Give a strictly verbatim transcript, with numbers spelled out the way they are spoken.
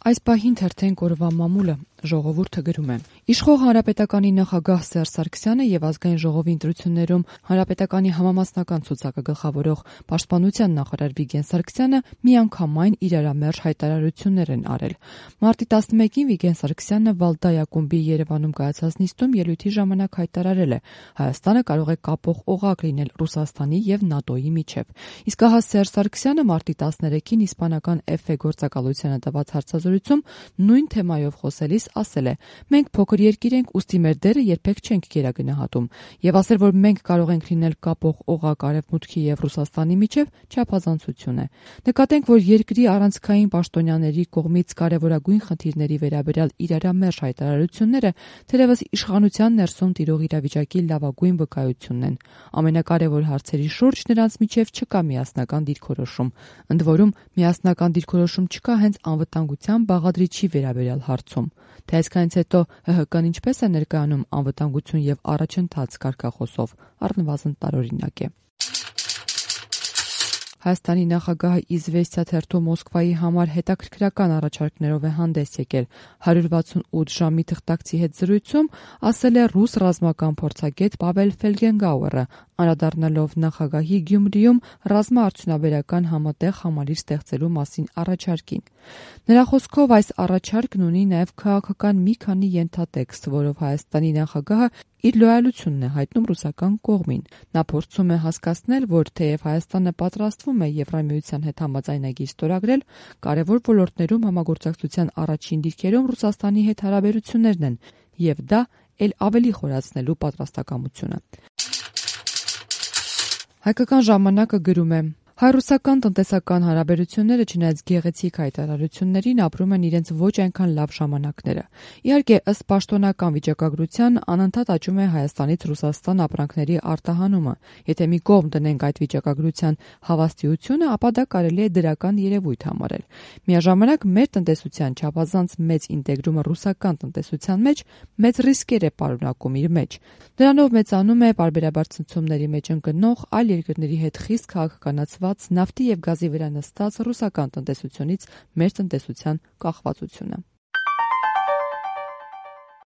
Այս պահին թերթենք օրվա մամուլը, ժողովուրդը գրում է. Իշխող Հանրապետականի նախագահ Սերժ Սարգսյանը եւ Ազգային ժողովի ընտրություններում Հանրապետականի համամասնական ցուցակը գլխավորող Պաշտպանության նախարար Վիգեն Սարգսյանը միանգամայն իրարամերժ հայտարարություններ են արել։ Մարտի տասնմեկին Վիգեն Սարգսյանը Վալդայ ակումբի Երևանում կայացած նիստում ելույթի ժամանակ հայտարարել է. Հայաստանը կարող է կապող օղակ լինել Ռուսաստանի եւ ՆԱՏՕ-ի միջեւ։ Իսկ ահա Սերժ Սարգսյանը մարտի տասներեքին իսպանական Էֆ Է գործակալությանը տված հարցազրույցում նույն թեմայով խոսելիս ասել է. «Մենք փոքր երկիր ենք, ուստի մեր դերը երբեք չենք գերագնահատում» եւ ասել, որ մենք կարող ենք լինել կապող օղակ Արևմուտքի եւ Ռուսաստանի միջեւ չափազանցություն է։ Նկատենք, որ երկրի առանցքային պաշտոնյաների կողմից կարևորագույն խնդիրների վերաբերյալ իրարամերժ հայտարարությունները թերևս իշխանության ներսում տիրող իրավիճակի լավագույն վկայությունն են։ Ամենակարևոր հարցերի շուրջ նրանց միջեւ չկա միասնական դիրքորոշում։ Ընդ որում, միասնական դիրքորոշում չկա հենց անվտանգության բաղադրիչի վերաբերյալ հարցում։ Թե այսքանից հետո Հ Հ Կն ինչպես է ներկայանում անվտանգություն եւ առաջընթաց կարգախոսով, առնվազն տարօրինակ է։ Հայաստանի նախագահը «Իզվեստիա» թերթում Մոսկվայի համար հետաքրքրական առաջարկներով է հանդես եկել։ հարյուր վաթսունութ ժամի թղթակցի հետ զրույցում ասել է ռուս ռազմական փորձագետ Պավել Ֆելգենգաուերը, անդրադառնալով նախագահի Գյումրիում ռազմաարդյունաբերական համատեղ համալիր ստեղծելու մասին առաջարկին։ Նրա խոսքով այս առաջարկն ունի նաև քաղաքական մի քանի ենթատեքստ, որով Հայաստանի նախագահը իր լոյալությունն է հայտնում ռուսական կողմին։ Նա փորձում է հասկացնել, որ թեև Հայաստանը պատրաստվում է Եվրամիության հետ համաձայնագիր ստորագրել, կարևոր ոլորտներում համագործակցության առաջին դիրքերում Ռուսաստանի հետ հարաբերություններն են, եւ դա էլ ավելի խորացնելու պատրաստակամությունը։ Հայկական ժամանակը գրում է. Հայ-ռուսական տնտեսական հարաբերությունները, չնայած գեղեցիկ հայտարարություններին, ապրում են իրենց ոչ այնքան լավ ժամանակները։ Իհարկե, ըստ պաշտոնական վիճակագրության, անընդհատ աճում է Հայաստանից Ռուսաստան ապրանքների արտահանումը։ Եթե մի կողմ դնենք այդ վիճակագրության հավաստիությունը, ապա դա կարելի է դրական երևույթ համարել։ Միաժամանակ մեր տնտեսության չափազանց մեծ ինտեգրումը ռուսական տնտեսության մեջ մեծ ռիսկեր է պարունակում իր մեջ։ Դրանով մեծանում է պարբերաբար ցնցումների մեջ ընկնող այլ երկրների հետ խիստ քաղաքականացված նավթի եւ գազի վրա նստած ռուսական տնտեսությունից մեր տնտեսության կախվածությունը։